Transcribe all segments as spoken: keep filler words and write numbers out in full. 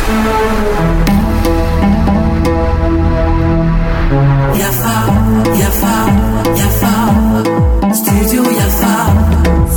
Yafa, yafa, yafa. Studio Yafa.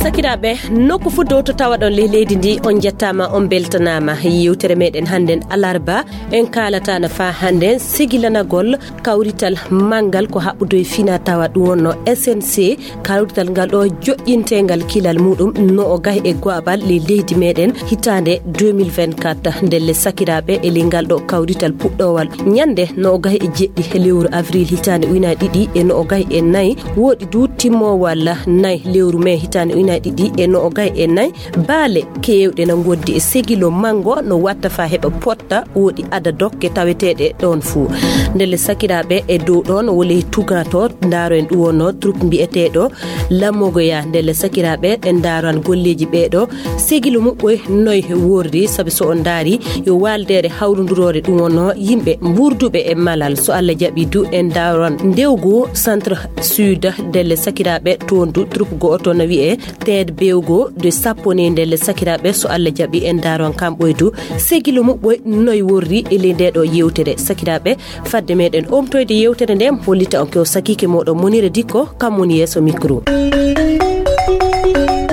Sakiraaɓe, nokku fof dow to tawaɗon ley leydi ndi, on njettaama, on mbeltanaama. Yewtere meɗen hannden alarba, en kaalata no faa hannden sigilanagol kawrital manngal ko haɓɓudo e fina tawa ɗum wonno S N C. Kawrital ngal ɗo joƴƴinteengal kilal muɗum no o gahi e go'abal ley leydi meɗen hitaande deux mille vingt-quatre. Ndelle sakiraaɓe, e ley ngal ɗo kawrital puɗɗoowal ñande no o gahi e jeɗɗi lewru avril hitaande ujunaaji ɗiɗi e no o gahi e nayi, woɗi du timmoowal nayi lewru mai hitaande ujunaaji ɗiɗi e no o gahi e nayi. Baale keewɗe na ngondi e segilo manngo no watta faa heɓa potta woɗi ada dokke taweteeɗe ɗoon fuu. Ndelle sakiraaɓe, e dow ɗoon wole tugato ndaaro en ɗum wonno troupe mbiyeteeɗo Lamogoya. Ndelle sakiraaɓe, en ndaaran golleeji ɓeeɗo segilo muɓɓoy noy worri, sabi so on ndaari yo waaldeere hawrunduroore ɗum wonno yimɓe mburduɓe e malal. So Allah jaɓi du en ndaaran ndewgu centre sud. Ndelle sakiraaɓe, toon du troupe go'oto no wi'e Teed Bewgo de sappo ni. Ndelle sakiraaɓe, so Allah jaɓi en ndaaran kamɓoy du segilo muɓɓoy noy worri e ley nde ɗo yewtere. Sakiraaɓe, fadde meɗen omtoyde yewtere nde, hollita on ko sakiike moɗon Monira Dikko, kam woni yeeso micro.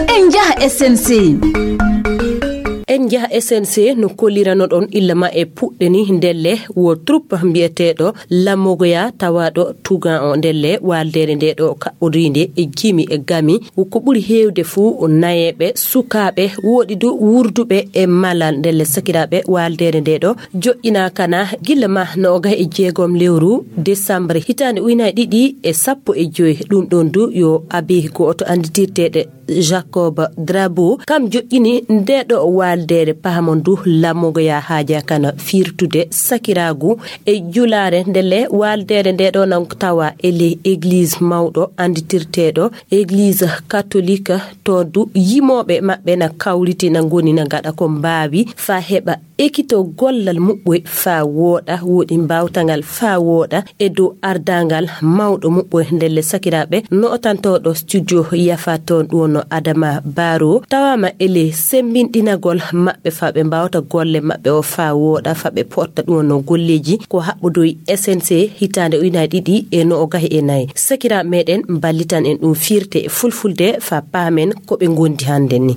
En njaha S N C. En njaha S N C no kolliranoɗon illa ma e puɗɗe ni, ndelle wo troupe mbiyeteeɗo Lamogoya tawaaɗo tugan o. Ndelle waaldeere nde ɗo kaɓɓodiinde e jimi e gami, ko ɓuri heewde fuu nayeeɓe, sukaaɓe, woɗi du wurduɓe e malal. Ndelle sakiraaɓe, waaldeere nde ɗo joƴƴinaaka na gila ma no o gahi e jeegom lewru décembre hitaande ujunaaji ɗiɗi e sappo e joy. Ɗum ɗoon du yo abbé go'oto annditirteeɗo Jacob Drabo, kam joƴƴini nde ɗo waaldeere. Pahamon du Lamogoya haajaaka na firtude sakiraagu e julaare. Ndelle waaldeere nde ɗo nan tawa e ley église mawɗo annditirteeɗo église catholique. To du yimooɓe maɓɓe na kawriti, na ngoni na ngaɗa ko mbaawi faa heɓa ekito gollal muɓɓoy faa wooɗa, woɗi mbaawtangal faa wooɗa e dow ardaangal mawɗo muɓɓoy. Ndelle sakiraaɓe, no o tantooɗo studio Yafa toon ɗum wonno Adama Baro, tawaama e ley semmbinɗinagol maɓɓe faa ɓe mbaawta golle maɓɓe o faa wooɗa, faa ɓe potta ɗum wonno golleeji ko haɓɓodoy S N C hitaande ujunaaji ɗiɗi e no o gahi e nayi. Sakiraaɓe meɗen, mballitan en ɗum firte e fulfulde faa paamen ko ɓe ngondi hannden ni.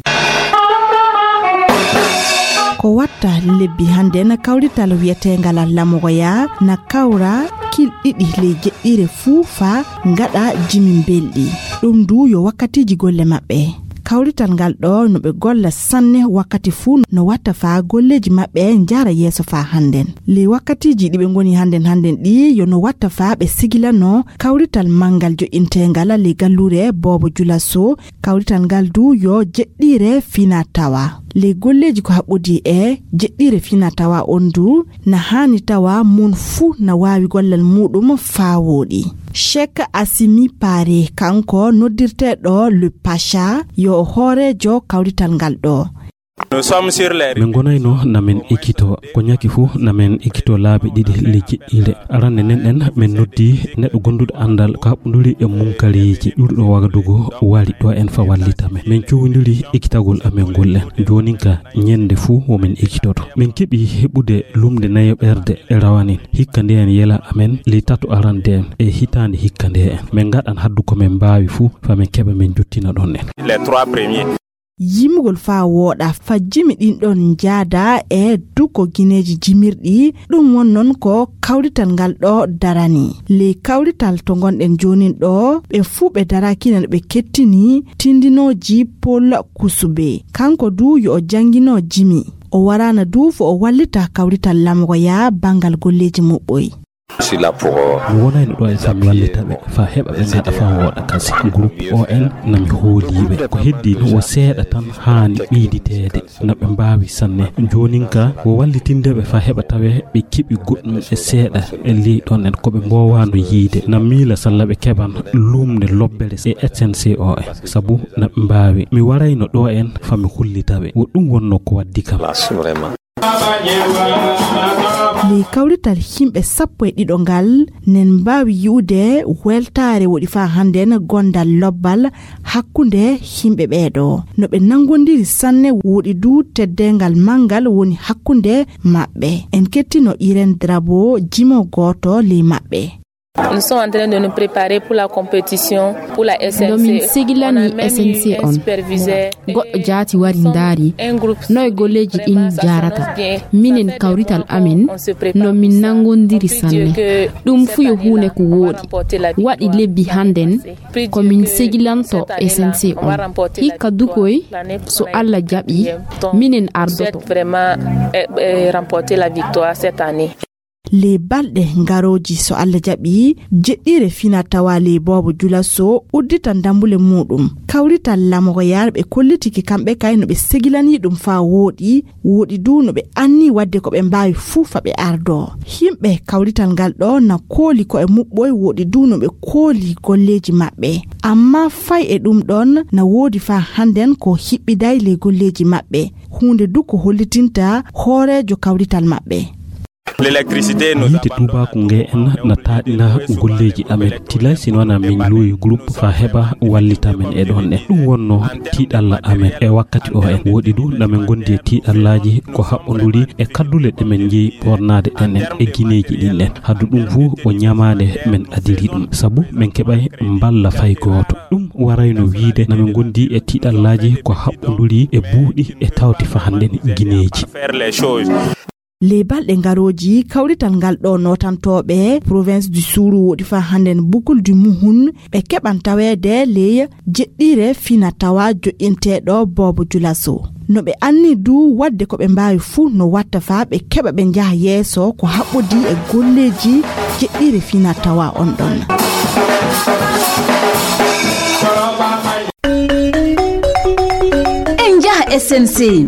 Ko watta lebbi hannden kawrital wiyeteengal Lamogoya na kawra kil ɗiɗi ley jeɗɗiire fuu faa ngaɗa jimi mbelɗi. Ɗum du yo wakkatiiji golle maɓɓe. Kawrital ngal ɗo no ɓe golla sanne wakkati fuu no watta faa golleeji maɓɓe njara yeeso faa hannden. Ley wakkatiiji ɗi ɓe ngoni hannden hannden ɗi yo no watta faa ɓe sigilano kawrital manngal joƴƴinteengal ley galluure Boobo Julaso. Kawrital ngal du yo jeɗɗiire fina tawa. Ley golleeji ko haɓɓodi e jeɗɗiire fina tawa on du na haani tawa mon fuu na waawi gollal muuɗum faa wooɗi. Cheikh Assimi Pare, kanko noddirteeɗo Le Pacha, yo hooreejo kawrital ngal ɗo. Nous sommes sur les Min ngonayno na min ekkito, ko ñaki fuu na min ekkito laabi ɗiɗi ley jeɗɗiire. Arande nden ɗen min noddi neɗɗo gonduɗo anndal ko haɓɓunduri e munkareeji, ƴuuruɗo Wagadugu wari ɗo en faa wallita men. Min cuwondiri ekkitagol amen ngol en. Joonin ka ñande fuu wo min ekkitoto. Min keɓi heɓude lumnde nayeeɓerde e rawanin. Hikka ndeen yela amen ley tato arande en e hitaande hikka ndee en. Min ngaɗan haddu ko min mbaawi fuu faa min keɓa min njottina ɗon en. Les trois premiers. Yimugol faa wooɗa faa jimi ɗin ɗon njaada e duko gineeji jimirɗi, ɗum won non ko kawrital ngal ɗo darani. Ley kawrital to ngonɗen joonin ɗo, ɓe fuu ɓe daraaki no ɓe kettini tindinooji Paul Kusube. Kanko du yo o janngino jimi. O waraana du fo o wallita kawrital Lamogoya banngal golleeji muɓɓoy. Mi wonayno ɗo e faa mi wallita ɓe faa heɓa ɓe ngaɗa faa wooɗa kasi. Groupe O N na mi hoolii ɓe. Ko heddii no wo seeɗa tan haani ɓeyditeede. Na ɓe mbaawi sanne. Joonin ka wo wallitinde ɓe faa heɓa tawee ɓe keɓi goɗɗum e seeɗa e ley ɗon en ko ɓe mboowaano yiide. Na miila salla ɓe keɓan lumnde lobbere e S N C O en. Sabu na ɓe mbaawi. Mi warayno ɗo en faa mi hollita ɓe. Wo ɗum wonno ko waddi kam. Ley kawrital yimɓe sappo e ɗiɗo ngal, nen mbaawi yi'ude weltaare woɗi faa hannden gondal lobbal hakkunde yimɓe ɓeeɗo. No ɓe nanngondiri sanne, woɗi duu teddeengal manngal woni hakkunde maɓɓe. En kettino Irène Drabo, jimo gooto ley maɓɓe. Nous sommes en train de nous préparer pour la compétition, pour la S N C E. No min segilani S N C on. Goɗɗo jaati wari ndaari no e golleeji ɗin jaarata. Minen kawrital amen no min nanngondiri sanne. Ɗum fuu yo huunde ko wooɗi. Waɗi lebbi hannden ko min segilanto S N C on. Hikka dukoy, so Alla jaɓi, minen ardoto. Vraiment, eh, eh, remporter la victoire cette année. Ley balɗe ngarooji, so Alla jaɓi, jeɗɗiire finaa-tawaa ley Boobo Jula Sow udditan dammbule muuɗum. Kawrital lamoyarɓe kollitike kamɓe kay no ɓe segilanii ɗum faa wooɗi, wooɗi duu no ɓe annii waɗde ko ɓe mbaawi fuu faa ɓe ardoo. Yimɓe kawrital ngal ɗoo na kooli ko'e muɓɓoy, wooɗi duu no ɓe kooli golleeji maɓɓe. Ammaa fay e ɗum ɗon, na woodi faa hannden ko hiɓɓiday ley golleeji maɓɓe. Huunde duu ko hollitinta hooreejo kawrital maɓɓe. Yiite tuubaaku ngee en na taaɗina golleeji amen. Tilay si no wanaa min luuyi groupe faa heɓa wallita men e ɗon ɗen. Ɗum wonnoo tiiɗalla amen e wakkati o en. Woɗi duu na men ngondi e tiiɗallaaji ko haɓɓonduri e kaddule ɗe men njeyi ɓoornaade ɗen en e gineeji ɗin ɗen. Haddu ɗum fuu o ñamaande men adiri ɗum. Sabu men keɓay mballa fay gooto. Ɗum warayno wiide na men ngondi e tiiɗallaaji ko haɓɓonduri e buuɗi e tawti faa hannden gineeji. Ley balɗe ngarooji, kawrital ngal ɗoo nootantooɓe province du Sourou woɗi faa hannden Boucle du Mouhoun, ɓe keɓan taweede ley jeɗɗiire finaa-tawaa joƴƴinteeɗo Boobo Jula Sow. No ɓe annii duu waɗde ko ɓe mbaawi fuu no watta faa ɓe keɓa ɓe njaha yeeso ko haɓɓodii e golleeji jeɗɗiire finaa-tawaa on ɗon. En njaha S N C.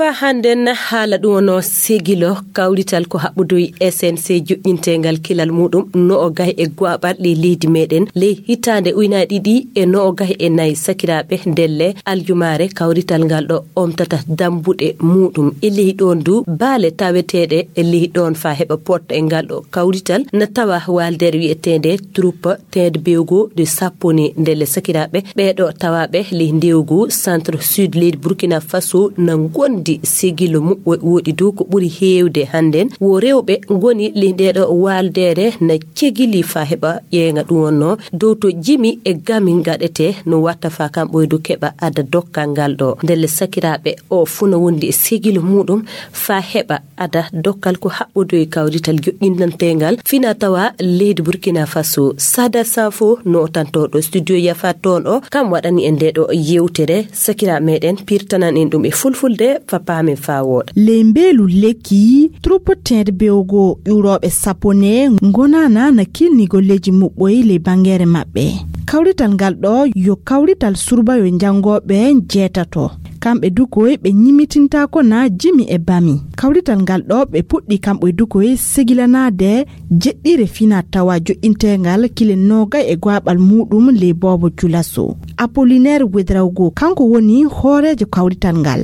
Faa hannden haala ɗum wonoo segilo kawrital ko haɓɓodoyi S N C joƴƴinteengal kilal muuɗum no o gahi e goaɓal ley leydi meɗen ley hitaande ujunaaji ɗiɗi e no o gahi e nayi. Sakiraaɓe, ndelle aljumaare kawrital ngal ɗo omtata dambuɗe muuɗum. E ley ɗoon du baale taweteeɗe e ley ɗoon faa heɓa potta e ngal ɗo kawrital na tawa waaldeere wi'eteende Troupe Tende Bewgo de Sapone. Ndelle sakiraaɓe, ɓeeɗo tawaaɓe ley ndewgu centre sud leydi Burkina Faso na ngondi segilo muɓɓo woɗi dow ko ɓuri heewde hannden wo rewɓe ngoni ley ndeeɗo waaldeere na cegili faa heɓa ƴeeŋa ɗum wonnoo dow to jimi e gami ngaɗetee no watta faa kamɓe du keɓa ada dokkal ngal ɗo. Ndelle sakiraaɓe, o fuu na wondi e segilo muuɗum faa heɓa ada dokkal ko haɓɓodoyi kawrital joƴƴinanteengal finaa-tawaa leydi Burkina Faso. Sada Sanfo, nootantooɗo studio Yafa toon o, kam waɗani en ndeeɗo yeewtere. Sakiraaɓe meɗen, pirtanan en ɗum e fulfulde faa paamen faa wooɗa. Ley mbeelu lekki, Troupe Tende Bewgo ƴuurooɓe Sapone ngonaana na kilni golleeji muɓɓoy ley banngeere maɓɓe. Kawrital ngal ɗo yo kawrital surbayo janngooɓe jeetato. Kamɓe dukoy ɓe ñimmitintaako na jimi e bami. Kawrital ngal ɗo ɓe puɗɗi kamɓe dukoy segilanaade jeɗɗiire finaa-tawaa joƴƴinteengal kile noogay e goaɓal muuɗum ley Boobo Jula Sow. Apollinaire Ouedraogo, kanko woni hooreejo kawrital ngal.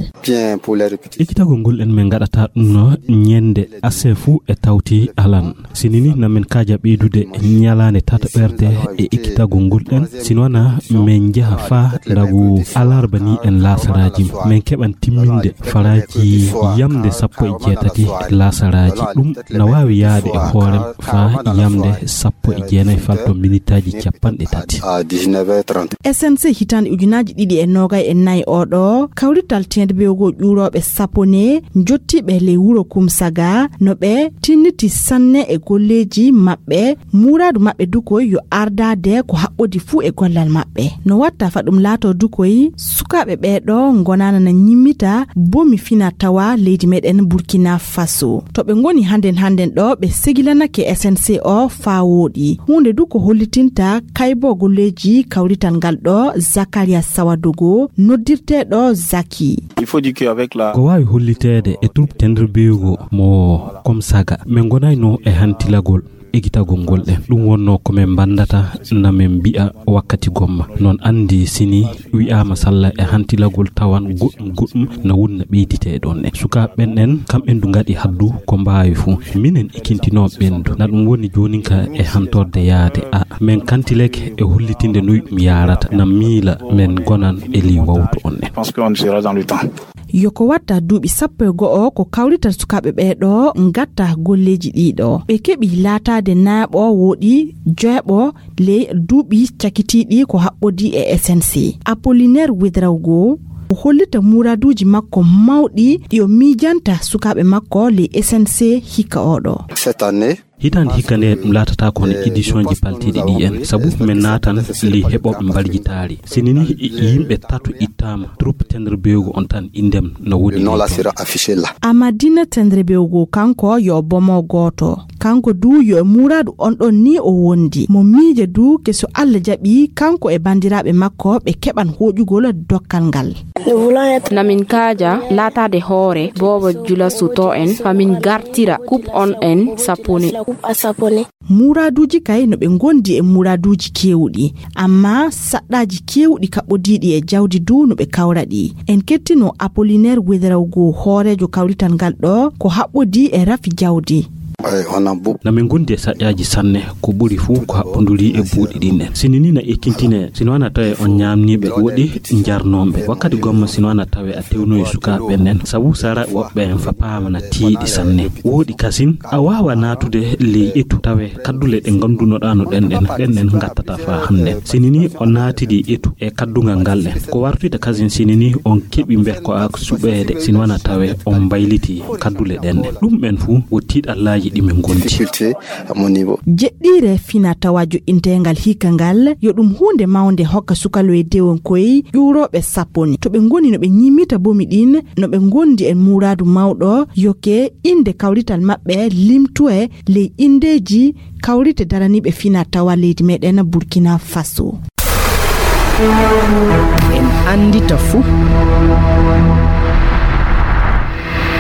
Ekitagol ngol en men ngaɗata ɗum no ñande asefu e tawti alan. Sinini na men kaaja ɓeydude ñalaande tataɓerde e ekkitagol ngol ɗen, si wanaa men njaha faa ndagu alarba ni en laasaraaji. Men keɓan timminde faraaji yamnde sappo e jeetati laasaraaji. Ɗum na waawi yahde e hoorem faa yamnde sappo e jeenayi falto minitaaji cappanɗe tati. S N C hitaande ujunaaji ɗiɗi e noogay e nayi oo ɗoo, kawrital Tende Bewgo ƴuurooɓe Sapone njottiiɓe ley wuro Kumsaga, no ɓe tinniti sanne e golleeji maɓɓe. Muuraadu maɓɓe dukoy yo ardaade ko haɓɓodi fuu e gollal maɓɓe. No watta faa ɗum laatoo dukoy, sukaaɓe ɓee ɗoo ngonaana na ñimmita bomi finaa-tawaa leydi meɗen Burkina Faso. To ɓe ngoni hannden hannden ɗo, ɓe segilanake S N C o faa wooɗi. Huunde du ko hollitinta kayboo golleeji kawrital ngal ɗo, Zakaria Sawadogo, noddirteeɗo Zaki. Ko waawi holliteede e Troupe Tendre Bewgo mo Komsaga, ɓe ngonayno e hantilagol. Ligitagol ngol ɗen. Ɗum wonno ko men mbanndata na men mbi'a wakkati gomma. Non anndi sini wi'aama salla e hantilagol tawan goɗɗum goɗɗum na wunna ɓeyditee ɗon ɗen. Sukaaɓe ɓen ɗen, kamɓe ndu ngaɗi haddu ko mbaawi fuu. Minen ikintinoo ɓen ndu. Na ɗum woni joonin ka e hantorde yaade. A, men kantileke e hollitinde nuy ɗum yaarata. Na miila men gonan e lii wawtu on ɗen. Je pense qu'on sera dans le temps. Yo ko watta duuɓi sappo e go'o ko kawrital sukaaɓe ɓee ɗoo ngatta golleeji ɗii ɗoo. Ɓe keɓi laataade naaɓo wooɗi joyaɓo ley duuɓi cakitiiɗi ko haɓɓodii e S N C. Apollinaire Ouédraogo o hollita muuraaduuji makko mawɗi ɗi o miijanta sukaaɓe makko ley S N C hikka oo ɗoo. Cette année, Hitaande hikka nde ɗum laatata ko hono édition ji paltiiɗi ɗi en, sabu men naatan ley heɓooɓe mbaljitaari. Sini ni yimɓe tato ittaama, troupe Tendre Bewgo on tan inndem no woni. Le nom là sera affiché là. Amadina Tendre Bewgo kanko yo bomo gooto. Kanko du yo e muuraadu on ɗon ni o wondi. Mo miija du ke so Alla jaɓi kanko e banndiraaɓe makko ɓe keɓan hooƴugol dokkal ngal. Namin kaaja laataade hoore boobo julasu to en, fa min gartira kup on en sapone. Muuraaduuji kay no ɓe ngondi e muuraaduuji keewɗi, amma saɗɗaaji keewɗi kaɓɓodiiɗi e jawdi du no ɓe kawra ɗi. En kettino Apollinaire Ouédraogo, hooreejo kawrital ngal ɗoo, ko haɓɓodii e rafi jawdi. Na min ngondi e saƴƴaaji sanne, ko ɓuri fuu ko haɓɓonduri e buuɗi ɗin ɗen. Sini ni na ekkintinee, sino wana tawe on ñaamniiɓe woɗi njarnooɓe. Wakkati gomma sino wana tawe a tewnoyi sukaaɓe ɓen ɗen, sabu sara woɓɓe en fa paama na tiiɗi sanne. Wooɗi kasin, a waawa naatude ley etu tawe kaddule ɗe ngondunoɗaa no ɗen ɗen, ɗen ɗen ngattata faa hannde. Sini ni o naatidi etu e kaddungal ngal ɗen. Ko wartita kasin sini ni on keɓi mber ko a suɓeede, sino wana tawe on mbayliti kaddule ɗen ɗen. Ɗum ɓen fuu wo tiiɗallaaji ɗi min ngondi. Difficulté à mon niveau. Jeɗɗiire fina tawa joɗɗinteengal hikka ngal, yo ɗum huunde mawnde hokka sukaloye dewonkoy ƴuurooɓe sappo ni. To ɓe ngoni no ɓe ñimmita bomi ɗin, no ɓe ngondi e muuraadu mawɗo, yoke innde kawrital maɓɓe limtoye ley inndeeji kawrite daraniiɓe fina tawa leydi meɗen Burkina Faso. En anndita fuu.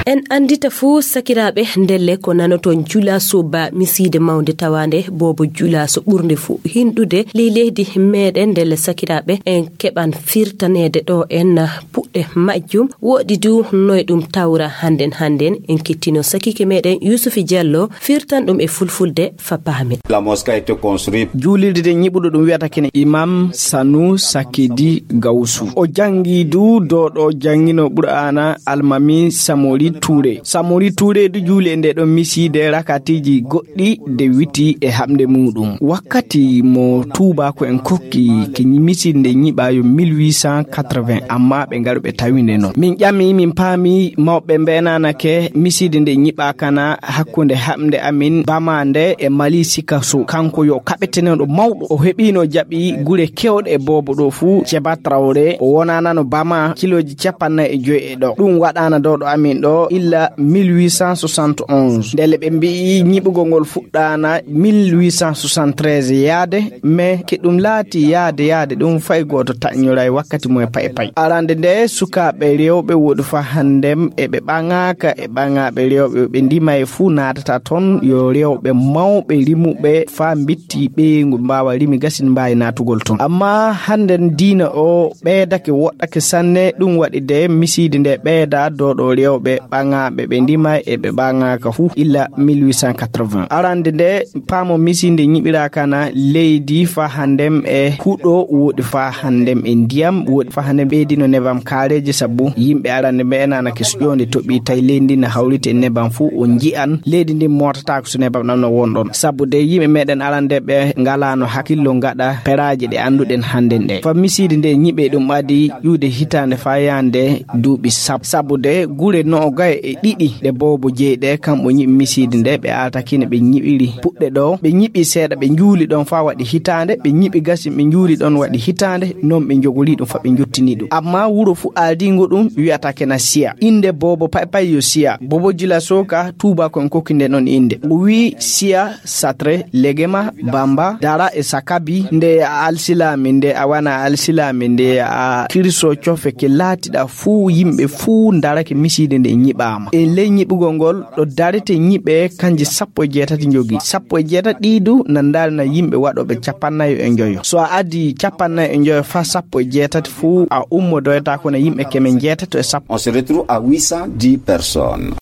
En anndita fuu, sakiraaɓe, ndelle ko nanoton Jula Soba, misiide mawnde tawaande boobo Jula so ɓurnde fuu hinɗude ley leydi meɗen. Ndelle, sakiraaɓe, en keɓan firtaneede ɗo en puɗɗe majjum. Woɗi du noy ɗum tawra hannden hannden. En kettino sakiike meɗen Yusufi Diallo firtan ɗum e fulfulde fa paamen. La mosquée a été construite. Juulirde nde ñiɓuɗo ɗum wiyata kene Imam Sanu Sakidi Gawsu. O janngi du dow ɗo janngino Qur'aana Almami Samori Touré. Samori Touré du juuli e nde ɗon misiide rakatiiji goɗɗi de witi e haɓde muɗum. Wakkati mo tuubaako en kokki ke ñi-, misiide nde ñiɓaayo mille huit cent quatre-vingts, amma ɓe ngaru ɓe tawi nde non. Min ƴami, min paami mawɓe mbeenanake misiide nde ñiɓaakana hakkunde haɓde amin Bama nde e Mali Sikaso. Kanko yo kaɓeteneɗo mawɗo. O heɓino jaɓi gure kewɗe e boobo ɗo fuu. Ceba Traoré, o wonanano Bama kilooji capanɗe nayi e joy e ɗo. Ɗum waɗana dow ɗo amin ɗo illa mille huit cent soixante et onze. Ndele ɓe mbi'i ñiɓugol ngol fuɗɗana mille huit cent soixante-treize yaade, mais ke ɗum laati yaade yaade ɗum fay gooto taƴñoray wakkati mo e pay pay. Arande nde sukaaɓe rewɓe woɗi fa handem e ɓe ɓaŋaaka e ɓaŋaaɓe rewɓe ɓe ndima e fuu naatata ton, yo rewɓe mawɓe rimuɓe fa mbitti ɓeyngu mbaawa rimi gasin mbaawi naatugol ton. Amma hannden diina o ɓeydake woɗɗake sanne, ɗum waɗi de misiide nde ɓeyda dow ɗo rewɓe ɓaŋaaɓe ɓe ndima e ɓe ɓaŋaaka fuu illa mille huit cent quatre-vingts. Arande nde paamo misiide ñiɓiraakana leydi fa handem e huɗo woɗi fa handem e ndiyam woɗi fa handem ɓeydino nebam kaareeji sabu yimɓe arande ɓe enanake suƴoonde toɓi tawi leydi ndi na hawriti e nebam fuu o nji'an leydi ndin mootataako so nebam ɗam no won ɗon. Sabu de yimɓe meɗen arande ɓe ngalano hakkillo ngaɗa peraaji ɗe annduɗen hannden ɗe. Fa misiide nde ñiɓe ɗum adi ƴuude hitaande fa yaande duuɓi sab-, sabu de gure noogay e ɗiɗi ɗe boobo jeyi ɗe kamɓe ñiɓi misiide nde ɓe altakine ɓe ñiɓiri puɗɗe ɗo, ɓe ñiɓi seeɗa ɓe njuuli ɗon fa waɗi hitaande, ɓe ñiɓi gasin ɓe njuuli ɗon waɗi hitaande, non ɓe njogori ɗum fa ɓe njottini ɗum. Amma wuro fu aadingo ɗum wiyata kena Siya. Innde boobo pay pay yo Siya. Boobo Jula Soka tuuba kon kokki nde non innde. O wi Siya, Satre, Legema, Bamba, Dara e Sakabi, nde a alsilaami, nde a wana alsilaami, nde a kirso cofe ke laatiɗa fuu yimɓe fuu ndarake misiide nde Yiɓaama e ley ñiɓugol ngol ɗo darete ñiɓe kanji sappo e jeetati njogii. Sappo e jeetati ɗii du na ndarna yimɓe waɗooɓe capannayo e njoyo. So a addi capannayo e njoyo fa sappo e jeetati fuu, a ummodoyta kono yimɓe keme njeetato e sappo. On se retrouve à huit cent dix personnes.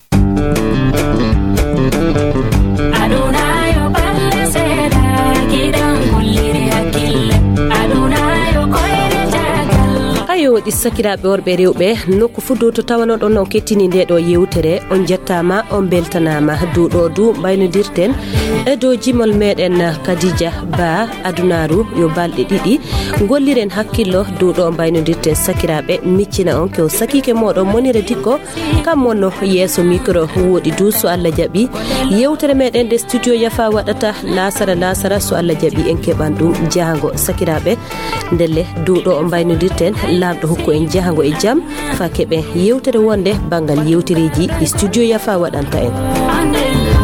Ayo, ɗi sakiraaɓe worɓe e rewɓe, nokku fuu dow to tawanoɗon on kettini nde ɗo yewtere, on jettaama, on beltanaama. Dow ɗo du mbaynodirten e dow jimol meɗen Khadija Ba, adunaaru yo balɗe ɗiɗi. Ngolliren hakkillo dow ɗo mbaynodirten sakiraaɓe, miccina on ko sakiike moɗon Monira Dikko, kam wonno yeeso micro. Wooɗi du, so Allah jaɓi, yewtere meɗen nde studio Yafa waɗata laasara laasara, so Allah jaɓi en keɓan ɗum jahango sakiraaɓe. Ndelle dow ɗo o mbaynodirten, Laamɗo hokku en jahango e jam, fa keɓen yewtere wonde banngal yewtereeji ɗi studio Yafa waɗanta en.